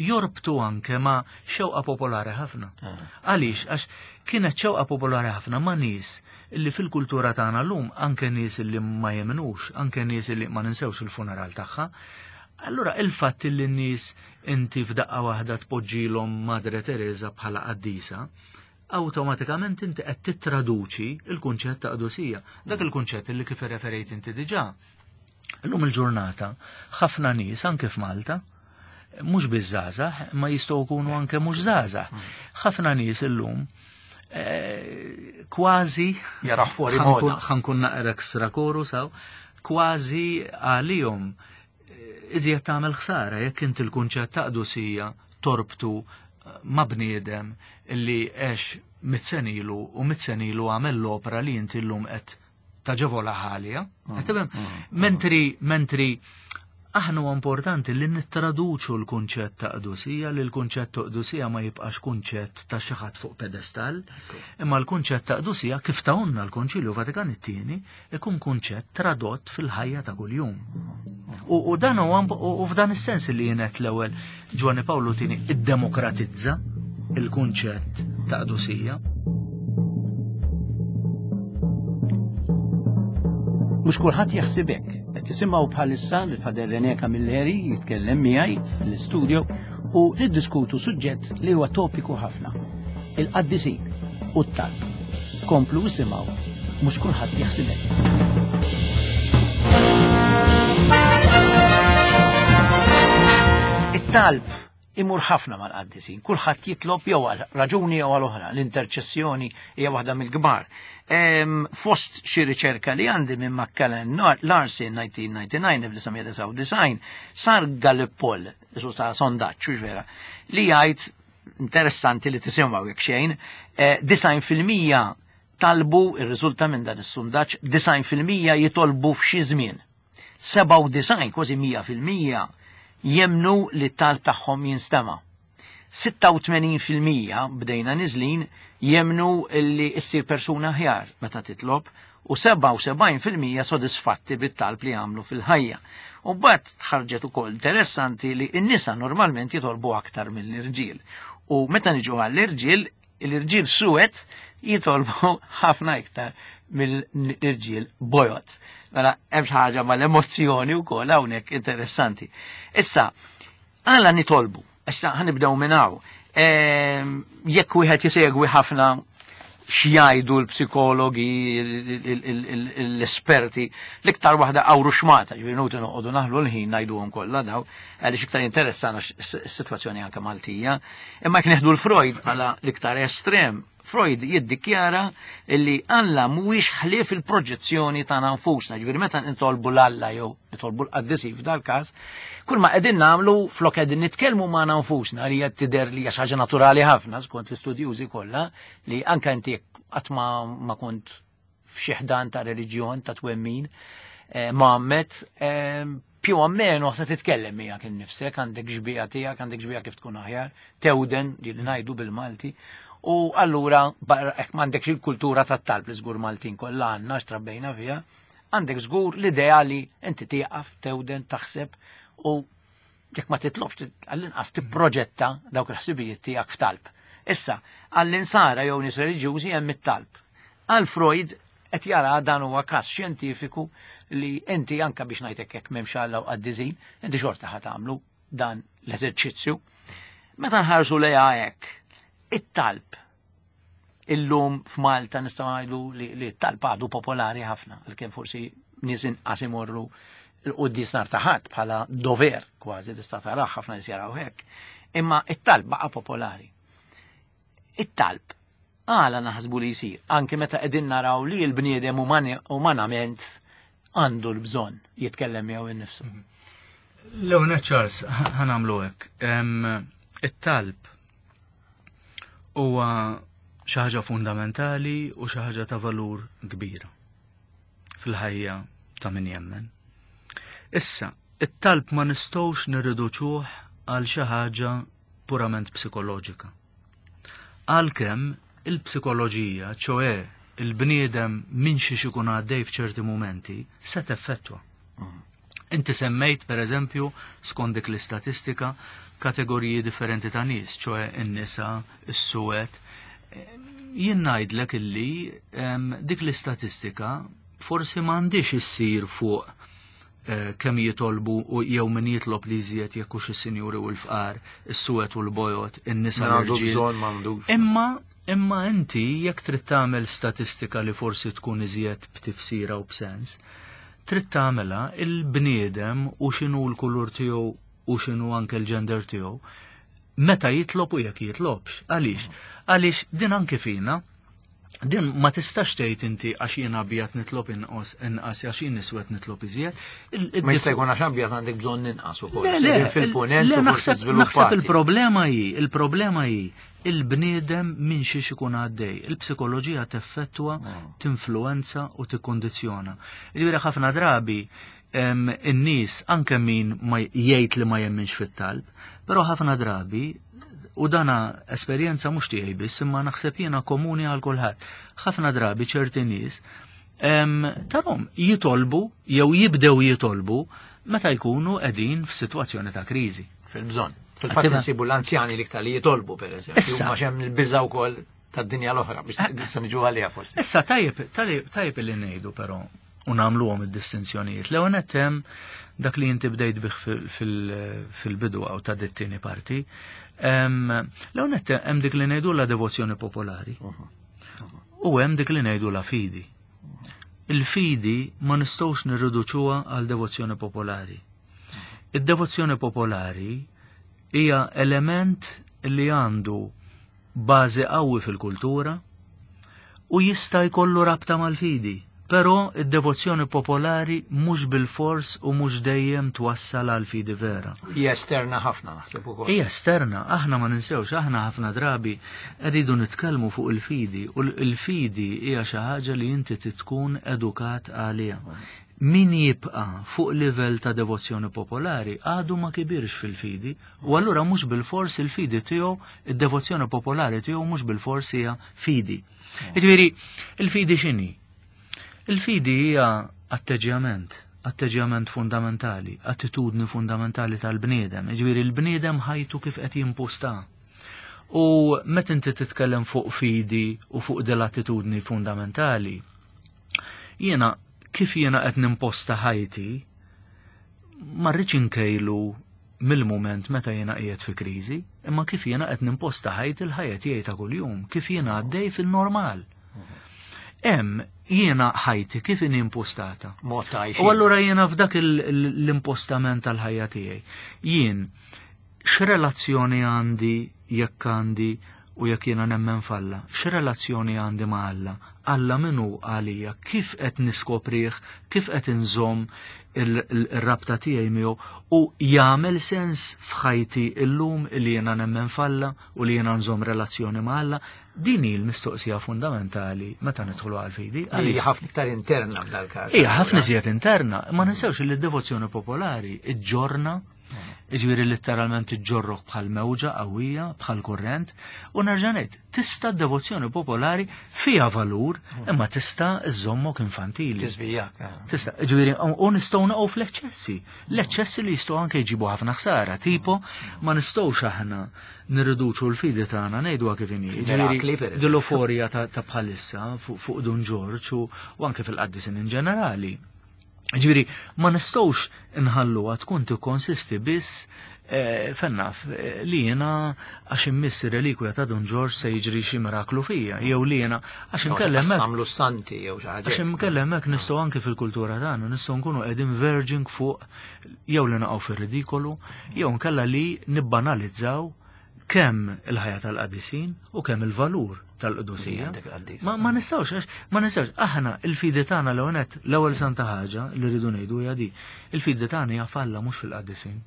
jorbtu anke ma' xewqa popolari ħafna. Għaliex għax kienet xewqa popolari ħafna ma' nies illi fil-kultura tagħna llum anke nies illi ma jemnux, anke nies illi ma ninsewx il-funeral tagħha. Allura il-fatt illi n-nies inti f'daqqa waħda tpoġġilhom Madre Teresa bħala qaddisa, awtomatikament inti qed tittraduċi il-kunċett ta' qdusija. Dak il-kunċett li kif irreferejt inti diġà. Illum il-ġurnata ħafna nies anke f'Malta Mhux biż-żgħażagħ, ma jistgħu jkunu anke mhux żgħażagħ. Ħafna nies illum eh, kważi jaraw fuori moda. Ħa nkun naqra extra koru saw, kważi għalihom eh, iżjed tagħmel ħsara jekk inti l-kunċett ta' qdusija torbtu eh, ma' bniedem illi għex mitt sena ilu u mitt sena ilu għamel l-opra li inti llum qed taġevola ħalija. Mm, mm, mentri, mentri aħna huwa importanti li nittraduċu l-kunċett ta' qdusija, li l-kunċett ta' qdusija ma jibqax kunċett ta' xi ħadd fuq pedestal, imma l-kunċett ta' qdusija kif tawna l-Konċilju Vatikan it-tieni ikun kunċett tradott fil-ħajja ta' kuljum. U, u dan huwa u f'dan is-sens li jienet l-ewwel Ġwanni Pawlu tieni iddemokratizza il-kunċett ta' qdusija. Mhux kulħadd jaħseb hekk. Qed tisimgħu bħalissa lil Father René Camilleri jitkellem miegħi fl-istudio u niddiskutu suġġett li huwa topiku ħafna. Il-qaddisin u t-talb. Komplu isimgħu, mhux kulħadd jaħseb hekk. It-talb imur ħafna mal-qaddisin, kulħadd jitlob jew għal raġuni jew għal oħra, l-interċessjoni hija waħda mill-kbar. Fost xi riċerka li għandi minn McCallan Larson nineteen ninety-nine, elf disa' mija disgħa u disgħin, sar Gallup poll, isu ta' sondaġġ, vera, li jgħid interessanti li tisimgħu jekk xejn, disgħin fil-mija talbu, ir-riżulta minn dan is-sondaġġ, disgħin fil-mija jitolbu f'xi żmien. Sebgħa u disgħin, kważi mija fil-mija, jemnu li t-talb tagħhom jinstema'. Sitta u tmenin fil-mija bdejna niżlin jemnu li issir persuna aħjar meta titlob u sebgħa u sebgħin fil-mija sodisfatti bit-talb li għamlu fil-ħajja. U mbagħad ħarġet ukoll interessanti li n-nisa normalment jitolbu aktar mill-irġiel. U meta niġu għall-irġiel, l-irġiel suwed jitolbu ħafna iktar mill-irġiel bojod. Mela hemm xi ħaġa mal-emozzjoni wkoll hawnhekk interessanti. Issa, għala nitolbu, għax ħanibdew minn hawn. Ehm, jekk wieħed jisegwi ħafna x'jgħidu l-psikologi, l-esperti, l-iktar waħda għawru xmata, ġifieri nuti noqogħdu naħlu l-ħin ngħiduhom kollha daw, għaliex iktar interessana s-sitwazzjoni anke Maltija. Imma jekk neħdu l-Freud bħala l-iktar estrem, Freud jiddikjara li Alla mhuwiex ħlief il-proġezzjoni tagħna nfusna, ġifieri meta nitolbu l-Alla jew nitolbu l-qaddisi f'dal-każ, kull ma qegħdin nagħmlu flok qegħdin nitkellmu magħna nfusna li hija tidher li hija xi ħaġa naturali ħafna skont l-istudjużi kollha, li anke inti qatt ma, ma kont f'xi ħdan ta' reliġjon ta' twemmin, eh, Muhammad, eh, più o meno se titkellem miegħek innifsek, għandek xbieha tiegħek, għandek xbieha kif tkun aħjar, tewden li ngħidu bil-Malti. U allura, barra, hekk m'għandekx il-kultura tat-talb li żgur Maltin kollha għandna x'trabbejna fiha, għandek żgur l-idea li inti tieqaf, tewden, taħseb u jekk ma titlobx għall-inqas tipproġetta dawk il-ħsibijiet tiegħek f'talb. Issa, għall-insara jew nies reliġjużi hemm it-talb. Għal Freud qed jara dan huwa każ xjentifiku li inti anke biex ngħidlek hekk m'hemmx Alla u qaddisin, inti xorta ħa tagħmlu dan l-eżerċizzju. Meta nħarsu lejha hekk, it-talb illum f'Malta nistgħu ngħidu li, li t-talb għadu popolari ħafna, għalkemm forsi nies inqas imorru l-quddies nhar ta' Ħadd bħala dover kważi tista' tarah ħafna nies jaraw hekk. Imma it-talb baqa' popolari. It-talb għala naħsbu li jsir, anke meta qegħdin naraw li l-bniedem umani-, umanament għandu l-bżonn jitkellem miegħu innifsu. L-ewwel nett, Charles, ħanamlu hekk. Em, it-talb huwa xi ħaġa fundamentali u xi ħaġa ta' valur kbir fil-ħajja ta' min jemmen. Issa, it-talb ma nistgħux nirriduċuh għal xi ħaġa purament psikoloġika. Għalkemm il-psikoloġija, ċoe il-bniedem minn xi ikun għaddej f'ċerti mumenti, se teffettwa. Inti semmejt, per eżempju, skont dik l-istatistika, kategoriji differenti ta' nies, ċoe in-nisa, is-suwed. Jien ngħidlek illi, em, dik l-istatistika forsi m'għandix issir fuq, eh, kemm jitolbu u jew min jitlob li jżjed jekk hux is-sinjuri u l-fqar, is-suwed u l-bojod, in-nisa Min għandu l-irġiel. bżonn, m'għandux. Imma, imma inti jekk trid tagħmel statistika li forsi tkun iżjed b'tifsira u b'sens, trid tagħmilha il-bniedem u x'inhu l-kulur tiegħu u x'inhu anke l-gender tiegħu, meta jitlob u jekk jitlobx. Għaliex? Għaliex din anke fina, din ma tistax tgħid inti għax jien abjad nitlob inqos inqas għax jien iswed nitlob iżjed. Ma jista' jkun għax abjad għandek bżonn inqas ukoll. Le, le, fil-punent le, naħseb naħseb il-problema hi, il-problema hi il-bniedem minn xiex ikun għaddej. Il-psikoloġija teffettwa, tinfluenza u tikkondizzjona. Jiġifieri ħafna drabi in-nies anke min ma jgħid li ma jemminx fit-talb, però ħafna drabi u dana esperjenza mhux tiegħi biss, imma naħseb jiena komuni għal kulħadd. Ħafna drabi ċerti nies tarahom jitolbu jew jibdew jitolbu meta jkunu qegħdin f'sitwazzjoni ta' kriżi. Fil-bżonn. Fil-fatt insibu l-anzjani l-iktar li jitolbu pereżempju. Issa. Huma hemm il-biża' wkoll tad-dinja l-oħra biex issa niġu għaliha forsi. Issa tajjeb tajjeb li ngħidu però u nagħmluhom id-distinzjonijiet. L-ewwel nett hemm dak li inti bdejt bih fil-bidu għaw ta' dit-tieni parti. L-ewwel nett hemm dik li ngħidu la devozzjoni popolari. U hemm dik li ngħidu la fidi. Il-fidi ma nistgħux nirriduċuha għal devozzjoni popolari. Id-devozzjoni popolari hija element li għandu bażi qawwi fil-kultura u jista' jkollu rabta mal-fidi. Però id-devozzjoni popolari mhux bil-fors u mhux dejjem twassal għal fidi vera. Hija esterna ħafna naħseb ukoll. Hija esterna, aħna ma ninsewx, aħna ħafna drabi rridu nitkellmu fuq il-fidi u l-fidi hija xi ħaġa li inti tkun edukat għaliha. Min jibqa' fuq livell ta' devozzjoni popolari għadu ma kibirx fil-fidi u allura mhux bil-fors il-fidi tiegħu, id-devozzjoni popolari tiegħu mhux bil-fors hija fidi. Jiġifieri, il-fidi x'inhi? Il-fidi hija atteġġjament, atteġġjament fundamentali, attitudni fundamentali tal-bniedem. Jiġifieri l-bniedem ħajtu kif qed jimposta. U meta inti titkellem fuq fidi u fuq dell-attitudni fundamentali, jiena kif jiena qed nimposta ħajti, ma rridx inkejlu mill-mument meta jiena qiegħed fi kriżi, imma kif jiena qed nimposta ħajti l-ħajja tiegħi ta' kuljum, kif jiena għaddej fin-normal. Hemm jiena ħajti kif inhi impostata. Mod ta' għajxin. U allura jiena f'dak l-impostament tal-ħajja tiegħi. Jien x'relazzjoni għandi jekk għandi u jekk jiena nemmen f'Alla, x'relazzjoni għandi ma' Alla? Alla min hu għalija, kif qed niskoprih, kif qed inżomm il-rabta tiegħi miegħu u jagħmel sens f'ħajti illum li jiena nemmen f'Alla u li jiena nżomm relazzjoni ma' Alla? Din hi l-mistoqsija fundamentali meta nidħlu għal-fidi. Hija ħafna iktar interna f'dal-każ. Hija ħafna iżjed interna, ma ninsewx li d-devozzjoni popolari iġġorna, jiġifieri letteralment iġġorrok bħal mewġa qawwija, bħal kurrent, u nerġa' ngħid, tista' d-devozzjoni popolari fiha valur, imma tista' iżommok infantili. Tiżvijak. Tista', jiġifieri, u nistgħu naqgħu fl-eċċessi. L-eċċessi li jistgħu anke jġibu ħafna ħsara, tipo ma nistgħux aħna nirriduċu l-fidi tagħna ngħiduha kif inhi. Mirakli, per eżempju. Dil-euforija ta' bħalissa fuq Dun Ġorġ u anke fil-qaddisin in ġenerali. Ġifieri, ma nistgħux nħalluha tkun tikkonsisti biss fennaf li jiena għax immiss ir-relikwja ta' Dun Ġorġ se jiġri xi miraklu fija, jew li jiena għax inkellem hekk. Samlu santi jew xi ħaġa. Għax inkellem hekk nistgħu anke fil-kultura tagħna nistgħu nkunu qegħdin verging fuq jew li naqgħu fir-ridikolu, jew nkella li nibbanalizzaw kemm il-ħajja tal-qadisin u kemm il-valur tal-qdusija. Ma, ma nistgħux, għax ma nistgħux. Aħna il-fidi tagħna l nett l-ewwel santa ħaġa li rridu ngħidu hija di. Il-fidi tagħna hija f'Alla mhux fil-qaddisin.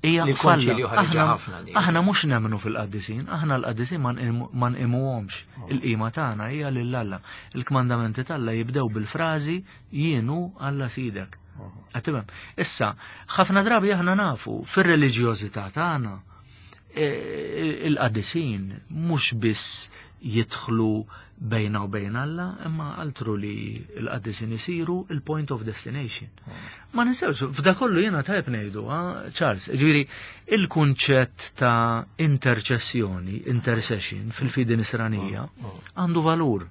Hija Li falla. l-konċilju ħareġha Aħna ħafna di. aħna mhux nemmnu fil-qaddisin, aħna l-qaddisin ma nqimu-, ma nqimuhomx. Il-qima tagħna hija lil Alla. Il-kmandamenti t'Alla jibdew bil-frażi jienu Alla sidek. Qed tifhem? Issa, ħafna drabi aħna nafu fir-reliġjożità tagħna il-qaddisin mhux biss jidħlu bejna u bejn Alla, imma altru li l-qaddisin isiru il-point of destination. Ma ninsewx, f'da kollu jiena tajb ngħidu, ha, Charles, ġifieri il-kunċett ta' interċessjoni, intercession fil-fidi nisranija għandu valur.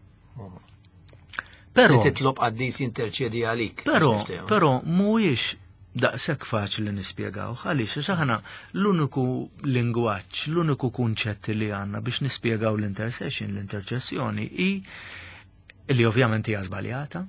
Però Li titlob qaddis jinterċedi għalik. Però, però mhuwiex daqshekk faċli nispjegaw, għaliex għax aħna l-uniku lingwaġġ, l-uniku kunċett li għandna biex nispjegaw l-intercession, l-interċessjoni hi li ovvjament hija żbaljata,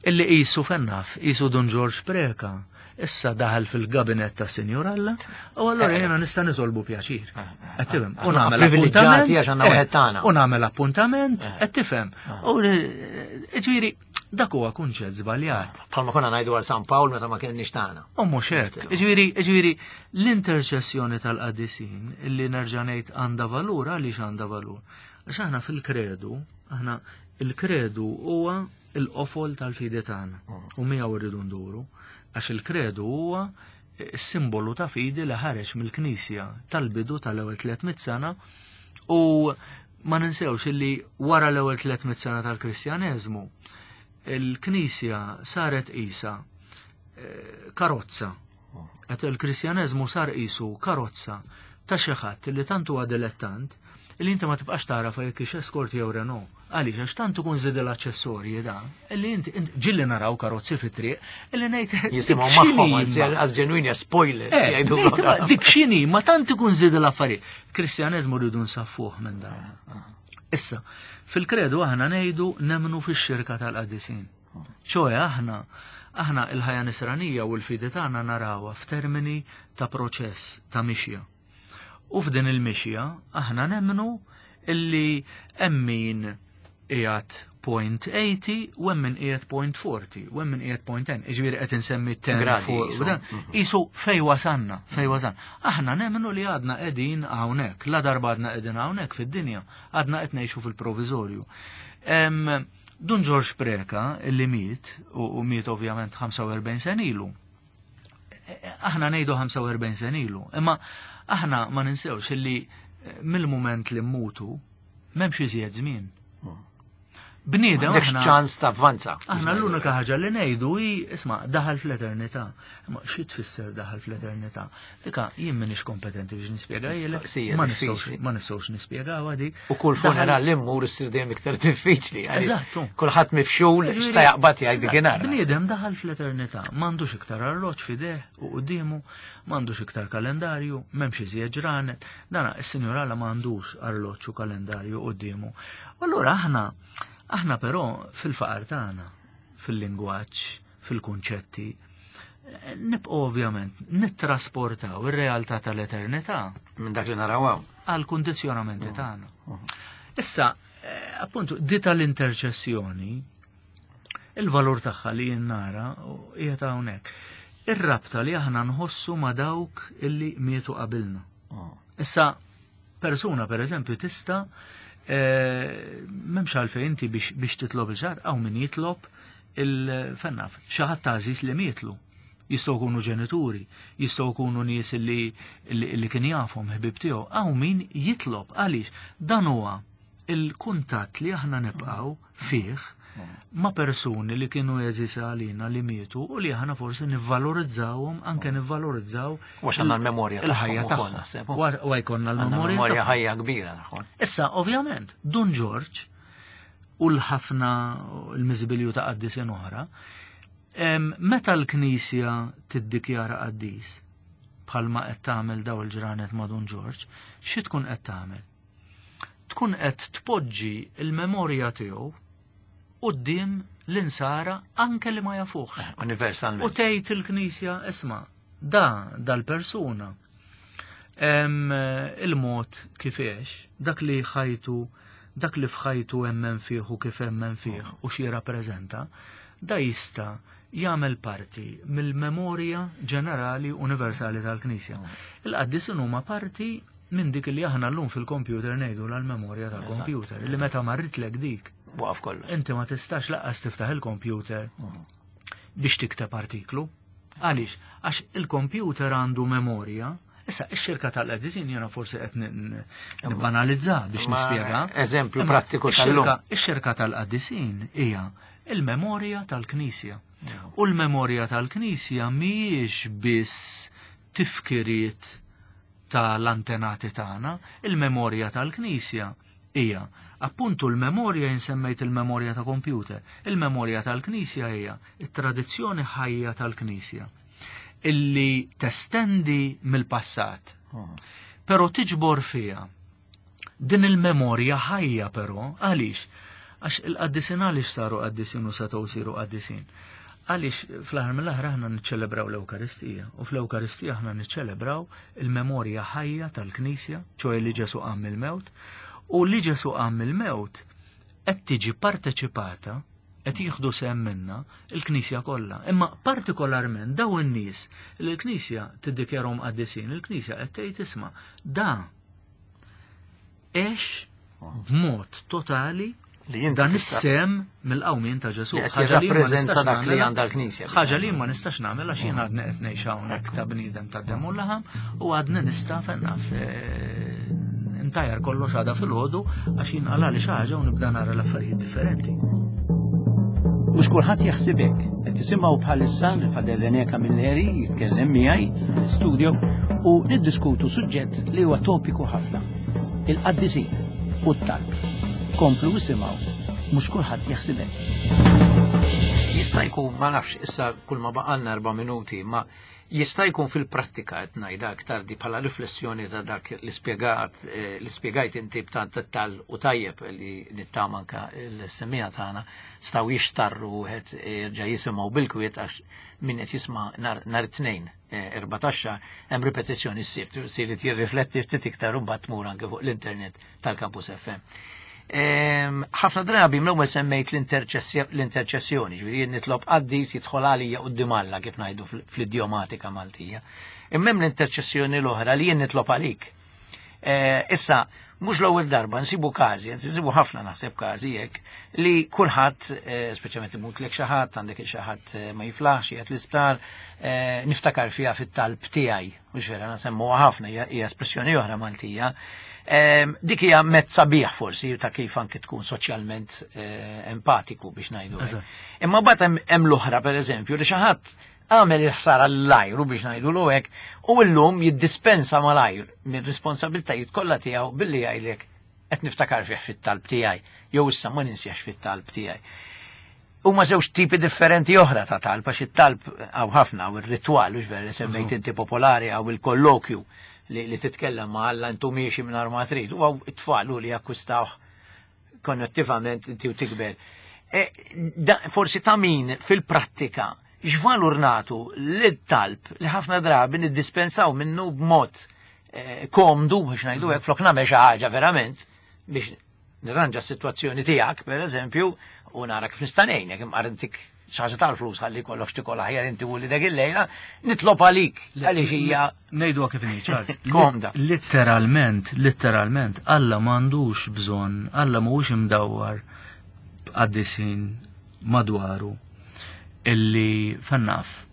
illi qisu fennaf, qisu Dun Ġorġ Preca, Issa daħal fil-gabinet ta' Sinjur Alla, u allura jiena nista' nitolbu pjaċir. Qed tifhem? U nagħmel Privileġġjati għax għandna wieħed tagħna. U nagħmel appuntament, qed tifhem. U ġifieri dak huwa kunċett żbaljat. Bħalma konna ngħidu għal San Pawl meta ma kienx tagħna. U mhux hekk. Ġifieri, ġifieri l-interċessjoni tal-qaddisin illi nerġa' ngħid għandha valur, għaliex għandha valur? Għax aħna fil-kredu, aħna il-kredu huwa il-qofol tal-fidi tagħna u miegħu rridu nduru, għax il-kredu huwa simbolu ta' fidi li ħareġ mill-Knisja tal-bidu tal-ewwel tliet mitt sena, u ma ninsewx illi wara l-ewwel tliet mitt sena tal-Kristjaneżmu il-Knisja saret qisha karozza. Qed il-Kristjaneżmu sar qisu karozza ta' xi ħadd li tant huwa dilettant illi inti ma tibqax tara jekk hix Escort jew Renault. Għaliex? Għax tant ikun żied l-aċċessorji da, illi inti ġilli naraw karozzi fit-triq illi ngħid jisimgħu magħhom għaz ġenwini spoilers jgħidu dik x'inhi, ma tant ikun żied l-affarijiet. Kristjaneżmu rridu nsaffuh minn dan. Issa, fil-kredu aħna ngħidu nemmnu fix-xirka tal-qaddisin. ċoe aħna aħna il-ħajja nisranija u l-fidi tagħna narawha f'termini ta' proċess ta' mixja. U f'din il-mixja aħna nemmnu illi hemm min qiegħed point eighty u hemm min qiegħed point forty u hemm min qiegħed point ten. Jiġifieri qed insemmi ten fuq dan. Isu fej wasanna, fej wasanna. Aħna nemmnu li għadna qegħdin hawnhekk, la darba għadna qegħdin hawnhekk fid-dinja, għadna qed ngħixu fil-proviżorju. Dun Ġorġ Preka illi miet, u miet ovvjament ħamsa u erbgħin sen ilu. Aħna ngħidu ħamsa u erbgħin sen ilu, imma aħna ma ninsewx illi mill-mument li mmutu m'hemmx iżjed żmien. Bniedem aħna ċans ta' avvanza. Aħna l-unika ħaġa li ngħidu hi isma' daħal fl-eternità. Imma xi tfisser daħal fl-eternità? Dika jien m'iniex kompetenti biex nispjega jilek. Ma nistgħux ma nistgħux nispjegawha dik. U kull funeral li mmur issir dejjem iktar diffiċli. Eżattu. Kulħadd mifxul x'ta jaqbad jgħid dikinhar. Bniedem daħal fl-eternità, m'għandux iktar arloġġ f'ideh u quddiemu, m'għandux iktar kalendarju, m'hemmx iżjed ġranet. Dana is-Sinjur Alla m'għandux arloġġ u kalendarju quddiemu. Allura aħna Aħna però fil-faqar tagħna, fil-lingwaġġ, fil-kunċetti, nibqgħu ovvjament nittrasportaw ir-realtà tal-eternità minn dak li naraw hawn għal kundizzjonamenti tagħna. Issa, appuntu, di tal-interċessjoni, il-valur tagħha li jien nara qiegħed hawnhekk. Ir-rabta li aħna nħossu ma' dawk illi mietu qabilna. Issa, persuna per eżempju tista' m'hemmx għalfejn inti biex titlob il-ġar, għaw min jitlob il-fennaf, xi ħadd għażiż li mietlu. Jistgħu jkunu ġenituri, jistgħu jkunu nies li, li kien jafhom ħbib tiegħu, għaw min jitlob għaliex dan huwa il-kuntatt li aħna nibqgħu fih ma' persuni li kienu għeżiż għalina li mietu u li aħna forsi nivvalorizzawhom, anke nivvalorizzaw għax għandna l-memorja il-ħajja tagħhom. U jkollna l-memorja ħajja kbira tagħhom. Issa, ovvjament, Dun Ġorġ u l-ħafna l-miżbilju ta' qaddisin oħra, meta l-Knisja tiddikjara qaddis bħalma qed tagħmel daw il-ġranet ma' Dun Ġorġ, xi tkun qed tagħmel? Tkun qed tpoġġi l-memorja tiegħu quddiem l-insara anke li ma jafuħx. Universalment. U tgħid il-Knisja, isma' da dal-persuna il-mod kif għex, dak li ħajtu, dak li f'ħajtu emmen fih u kif emmen fih u xi jirrappreżenta, da jista' jagħmel parti mill-memorja ġenerali universali tal-Knisja. Il-qaddisin huma parti minn dik li aħna llum fil-kompjuter ngħidu l-memorja tal-kompjuter, li meta marritlek dik waqaf kollu. Inti ma tistax laqqas tiftaħ il-kompjuter biex tikteb artiklu. Għaliex? Għax il-kompjuter għandu memorja. Issa, ix-xirka tal-qaddisin jiena forsi qed nibbanalizza biex nispjega. Eżempju prattiku tal-lum. Ix-xirka tal-qaddisin hija il-memorja tal-Knisja. U l-memorja tal-Knisja mhijiex biss tifkiriet tal-antenati tagħna, il-memorja tal-Knisja hija appuntu l-memorja, insemmejt il-memorja ta' kompjuter, il-memorja tal-Knisja hija it-tradizzjoni ħajja tal-Knisja illi testendi mill-passat, però tiġbor fiha din il-memorja ħajja. Però għaliex? Għax il-qaddisin għaliex saru qaddisin u setgħu jsiru qaddisin? Għaliex fl-aħħar mill-aħħar aħna niċċelebraw l-Ewkaristija u fl-Ewkaristija aħna niċċelebraw il-memorja ħajja tal-Knisja, ċoè li Ġesu qam mill-mewt, u li Ġesu qam mill-mewt qed tiġi parteċipata, qed jieħdu sehem minna il-Knisja kollha. Imma partikolarment daw in-nies li l-Knisja tiddikjarhom qaddisin, il-Knisja qed tgħid isma' da għex b'mod totali Li inti dan tista' is-sem mill-qawmien ta' Ġesu. Li qed Ħaġa li ma jirrappreżenta nistax dak li nagħmilha- għandha l-Knisja. Ħaġa li ma nistax nagħmel għax jien għadni qed ngħix hawnhekk ta' bniedem ta' demm u laħam u għadni nista' fennaf eh, ntajjar kollox għada fil-ħodu għax jien qalali xi ħaġa u nibda nara l-affarijiet differenti. Mhux kulħadd jaħseb hekk. Qed tisimgħu bħalissa lil Father René Camilleri jitkellem miegħi fl-studio u niddiskutu suġġett li huwa topiku ħafna. Il-qaddisin u t-talb. Komplu isimgħu, mhux kulħadd jaħseb hekk. Jista' jkun, ma nafx, issa kull ma baqalna erba' minuti, ma jista' jkun fil-prattika qed ngħidha aktar di bħala riflessjoni ta' dak li spjegat eh, li spjegajt inti b'tant dettal u tajjeb li nittama anka l-semmiegħa tagħna stgħu jixtarru wieħed jerġa' jisimgħu bil-kwiet għax min qed jisma' nhar nhar it-tnejn eh, erbatax hemm ripetizzjoni s-sibt, sirit jirrifletti ftit iktar u mbagħad tmur anke fuq l-internet tal-Campus F M. Em, ħafna drabi mill-ewwel semmejt l-interċessjoni, ġifieri jien nitlob qaddis jidħol għalija quddiem Alla kif ngħidu fl-idjomatika Maltija. Imma hemm l-interċessjoni l-oħra li jien nitlob għalik. Eh, issa, mhux l-ewwel darba nsibu każi, nsibu ħafna naħseb każi hekk li kulħadd, eh, speċjalment imutlek xi ħadd, għandek xi ħadd eh, ma jiflaħx, qiegħed l-isptar, niftakar fiha fit-talb tiegħi, mhux vera nsemmuha ħafna, hija espressjoni oħra Maltija. Dik hija mezz sabiħ forsi ta' kif anke tkun soċjalment empatiku biex ngħidu. Imma mbagħad hemm l-oħra, pereżempju, li xi ħadd għamel il-ħsara l-lajru biex ngħidu l hekk u llum jiddispensa malajr minn responsabiltajiet kollha tiegħu billi jgħidlek qed niftakar fih fit-talb tiegħi jew issa ma ninsjax fit-talb tiegħi. Huma żewġ tipi differenti oħra ta' talb, għax it-talb hawn ħafna u r-ritwal, u vera li semmejt inti popolari, hawn il-kollokju li, li titkellem ma' Alla intu miexi minn ma trid, u hawn it-tfal li jakkwistawh konnettivament inti u tikber. E, forsi ta' min fil-prattika x'valur nagħtu lit-talb li ħafna drabi niddispensaw minnu b'mod eh, komdu biex ngħidu hekk, flok nagħmel xi ħaġa verament biex nirranġa s-sitwazzjoni tiegħek, pereżempju, u nara kif nista' ngħinek, imqar intik xi ħaġa tal-flus ħalli kollox tikol aħjar inti u li dak il-lejla, nitlob għalik għaliex hija Ngħidu kif inhi, Charles. Komda. Letteralment, letteralment, Alla m'għandux bżonn, Alla mhuwiex imdawwar qaddisin madwaru illi fannaf.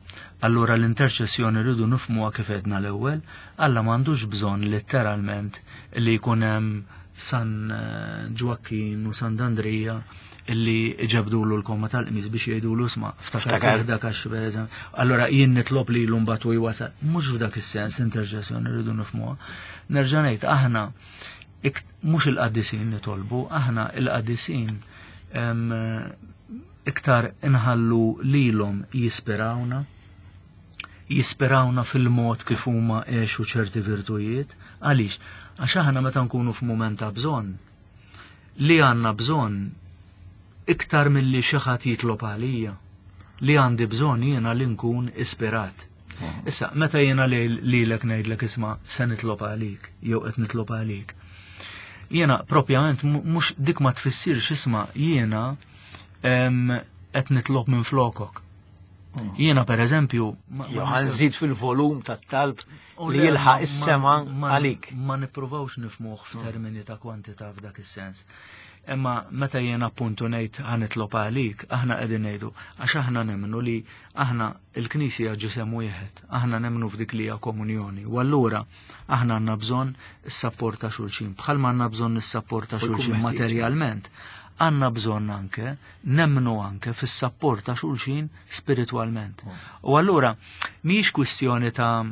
Allura l-interċessjoni rridu nifhmuha kif edna l-ewwel, Alla m'għandux bżonn letteralment li jkun hemm San eh, Ġwakkin u San Andrija illi ġabdulu l-komma tal-qmis biex jgħidulu isma' ftakar dak għax pereżempju. Allora jien nitlob li l mbagħad u jwasal. Mhux f'dak is-sens l-interċessjoni rridu nifhmuha. Nerġa' ngħid, aħna mhux il-qaddisin nitolbu, aħna il-qaddisin iktar inħallu lilhom jispirawna, jispirawna fil-mod kif huma għexu ċerti virtujiet. Għaliex? Għax aħna meta nkunu f'mument ta' bżonn, li għandna bżonn iktar milli xi ħadd jitlob għalija, li għandi bżonn jiena li nkun ispirat. Issa, meta jiena lilek ngħidlek isma' se nitlob għalik, jew qed nitlob għalik. Jiena propjament mhux dik ma tfissirx isma' jiena qed nitlob minn flokok. Jiena per eżempju Jew ħa nżid fil-volum tat-talb li jilħaq is-sema għalik. Ma nippruvawx nifhmuh f'termini ta' kwantità f'dak is-sens. Imma meta jiena appuntu ngħid ħa nitlob għalik, aħna qegħdin ngħidu għax aħna nemmnu li aħna il-Knisja ġisem wieħed, aħna nemmnu f'dik li hija komunjoni. U allura aħna għandna bżonn is-sapport ta' xulxin, bħalma għandna bżonn is-sapport ta' xulxin materjalment, għandna bżonn anke nemmnu anke fis-sapport ta' xulxin spiritwalment. U allura mhijiex kwistjoni ta'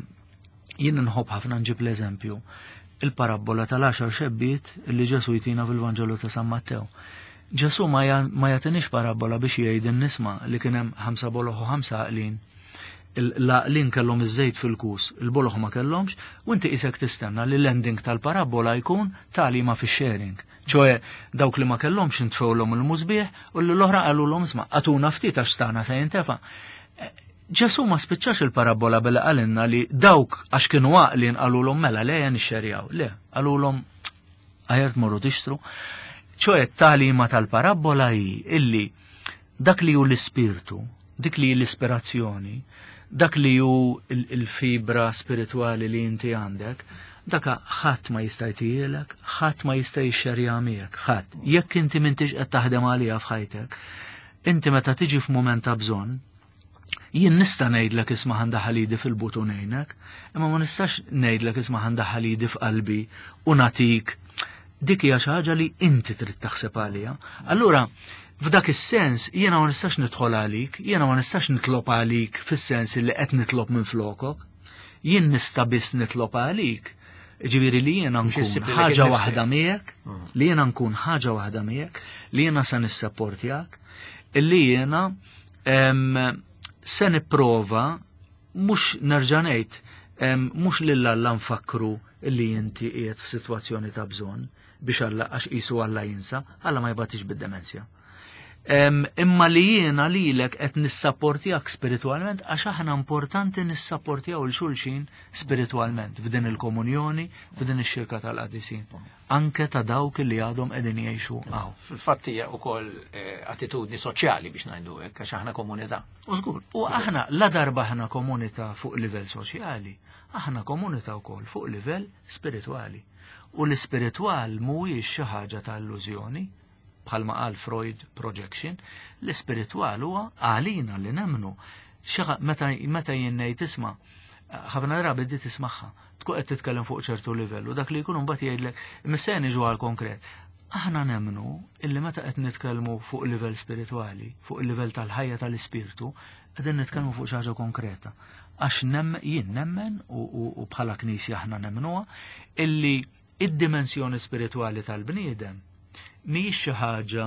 jien nħobb ħafna nġib l-eżempju il-parabbola tal-għaxar xebbiet li Ġesu jtina fil-Vanġelu ta' San Mattew. Ġesu ma jagħtinix parabbola biex jgħid nisma' li kien hemm ħamsa boloh u ħamsa għaqlin. L-għaqlin kellhom iż-żejt fil-kus, il-boloħ ma kellhomx, u inti qisek tistenna li l-ending tal-parabola jkun tagħlima fix-sharing. ċoe dawk li ma kellhomx intfewlhom il-musbieħ u l-oħra qalulhom isma' għatuna ftit għax stana se jintefa'. Ġesu ma spiċċax il-parabola billi qalilna li dawk għax kienu għaqlin qalulhom mela le nixxerjaw. Le, qalulhom aħjar tmorru tixtru. ċoe t-tagħlima tal-parabola hi illi dak li hu l-ispirtu, dik li hi l-ispirazzjoni, dak li hu il-fibra spiritwali li inti għandek, daka ħadd ma jista' jtielek, ħadd ma jista' jixxerja miegħek, ħadd. Jekk inti m'intix qed taħdem għaliha f'ħajtek, inti meta tiġi f'mument ta' bżonn, jien nista' ngħidlek isma' ħandaħal idi fil-but u ngħinek, imma ma nistax ngħidlek isma' ħandaħal idi f'qalbi u nagħtik. Dik hija xi ħaġa li inti trid taħseb għaliha. Allura, f'dak is-sens jiena ma nistax nidħol għalik, jiena ma nistax nitlob għalik fis-sens li qed nitlob minn flokok. Jien nista' biss nitlob għalik. Ġifieri li jiena nkun ħaġa waħda miegħek, li jiena nkun ħaġa waħda miegħek, li jiena se nissapportjak, illi jiena se nipprova mhux nerġa' ngħid mhux lil Alla nfakru li inti qiegħed f'sitwazzjoni ta' bżonn biex Alla għax qisu Alla jinsa, Alla ma jbatix bid-demenzja. Imma li jiena lilek qed nissapportjak spiritwalment għax aħna importanti nissapportjaw il xulxin spiritwalment f'din il-komunjoni, f'din ix-xirka tal-qadisin. Anke ta' dawk li għadhom qegħdin jgħixu hawn. Fil-fatt hija wkoll attitudni soċjali biex ngħidu hekk għax aħna komunità. U żgur, u aħna la darba aħna komunità fuq livell soċjali, aħna komunità wkoll fuq livell spiritwali. U l-ispiritwal mhuwiex xi ħaġa ta' illużjoni, bħalma qal Freud projection, l-ispiritwal huwa għalina li nemmnu. Meta meta jien ngħid isma', ħafna drabi di tismagħha, tkun qed titkellem fuq ċertu livell u dak li jkun mbagħad jgħidlek imma niġu għal konkret. Aħna nemmnu illi meta qed nitkellmu fuq livell spiritwali, fuq il-livell tal-ħajja tal-ispirtu, qegħdin nitkellmu fuq xi ħaġa konkreta. Għax jien nemmen u bħala knisja aħna nemmnuha illi id-dimensjoni spiritwali tal-bniedem mhijiex xi ħaġa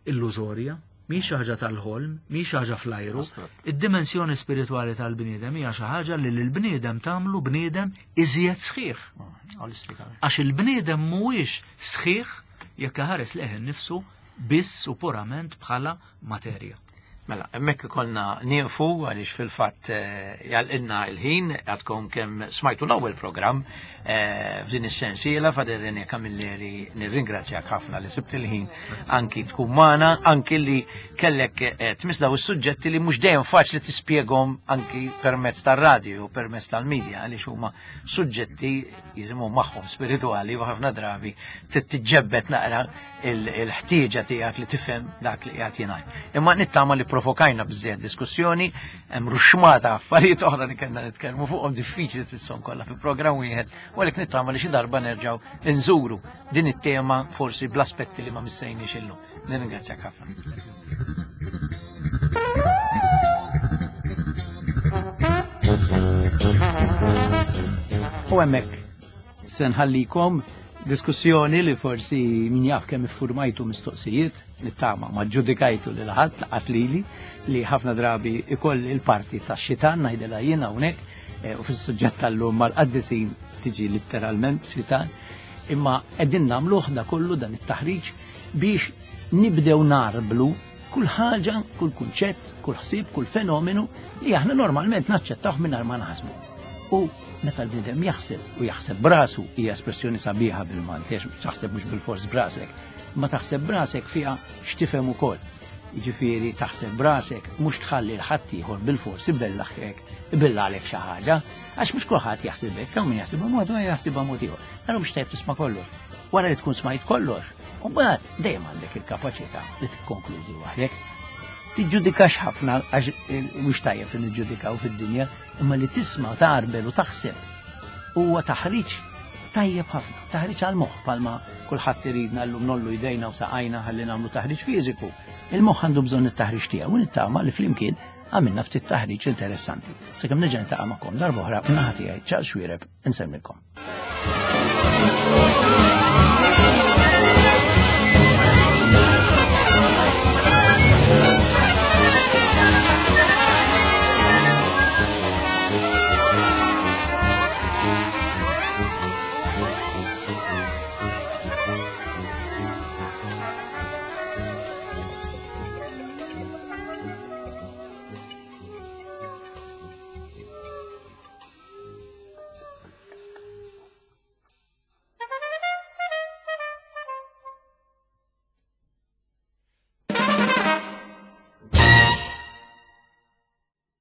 illużorja, mhijiex xi ħaġa tal-ħolm, mhijiex xi ħaġa fl-ajru. Id-dimensjoni spiritwali tal-bniedem hija xi ħaġa li lill-bniedem tagħmlu bniedem iżjed sħiħ. Għax il-bniedem mhuwiex sħiħ jekk iħares lejh innifsu biss u purament bħala materja. Mela, hemmhekk ikollna nieqfu għaliex fil-fatt jgħalqilna l-ħin, għadkom kemm smajtu l-ewwel programm f'din is-sensiela. Father René Camilleri, nirringrazzjak ħafna li sibt il-ħin anki tkun magħna, anki li kellek tmiss daw is-suġġetti li mhux dejjem faċli tispjegahom anki permezz tar-radju u permezz tal-medja, għaliex huma suġġetti jisimhom magħhom spiritwali u ħafna drabi tiġġebbed naqra il-ħtieġa tiegħek li tifhem dak li qiegħed jingħad. Imma nittama li provokajna biżżejjed diskussjoni, hemm ruxmata affarijiet oħra li kellna nitkellmu fuqhom, diffiċli tfisshom kollha fi programm wieħed, u għalhekk nittama li xi darba nerġgħu nżuru din it-tema forsi bl-aspetti li ma missejniex illum. Nirringrazzjak ħafna. U hemmhekk se nħallikom diskussjoni li forsi min jaf kemm iffurmajtu mistoqsijiet, nittama ma ġudikajtu lil ħadd laqas lili li ħafna drabi ikolli l-parti tax-xitan ngħidilha jien hawnhekk, u fis-suġġett tal-lum mal-qaddisin tiġi litteralment xitan, imma qegħdin nagħmluh da kollu dan it-taħriġ biex nibdew narblu kull ħaġa, kull kunċett, kull ħsieb, kull fenomenu li aħna normalment naċċettawh mingħajr ma naħsbu. U meta l-bniedem jaħseb u jaħseb brasu, hija espressjoni sabiħa bil-Malti, għax taħseb mhux bil-fors brasek, ma taħseb brasek fiha x'tifhem ukoll. Jiġifieri taħseb brasek mhux tħalli l-ħadd ieħor bil-fors ibellaħek, ibellagħlek xi ħaġa, għax mhux kulħadd jaħseb hekk, hawn min jaħsibha mod u jaħsibha mod ieħor. Allura mhux tajjeb tisma' kollox. Wara li tkun smajt kollox, u mbagħad dejjem għandek il-kapaċità li tikkonkludi waħdek. Tiġġudikax ħafna għax mhux tajjeb li niġġudikaw fid-dinja, imma li tisma' tarbel u taħseb huwa taħriġ tajjeb ħafna, taħriġ għall-moħħ, bħalma kulħadd iridna llum nollu jdejna u saqajna ħalli nagħmlu taħriġ fiżiku. Il-moħħ għandu bżonn it-taħriġ tiegħu u nittama li flimkien għamilna ftit taħriġ interessanti. Sakemm nerġa' niltaqa' magħkom darba oħra, min-naħa tiegħi Charles Xuereb, insellmilkom.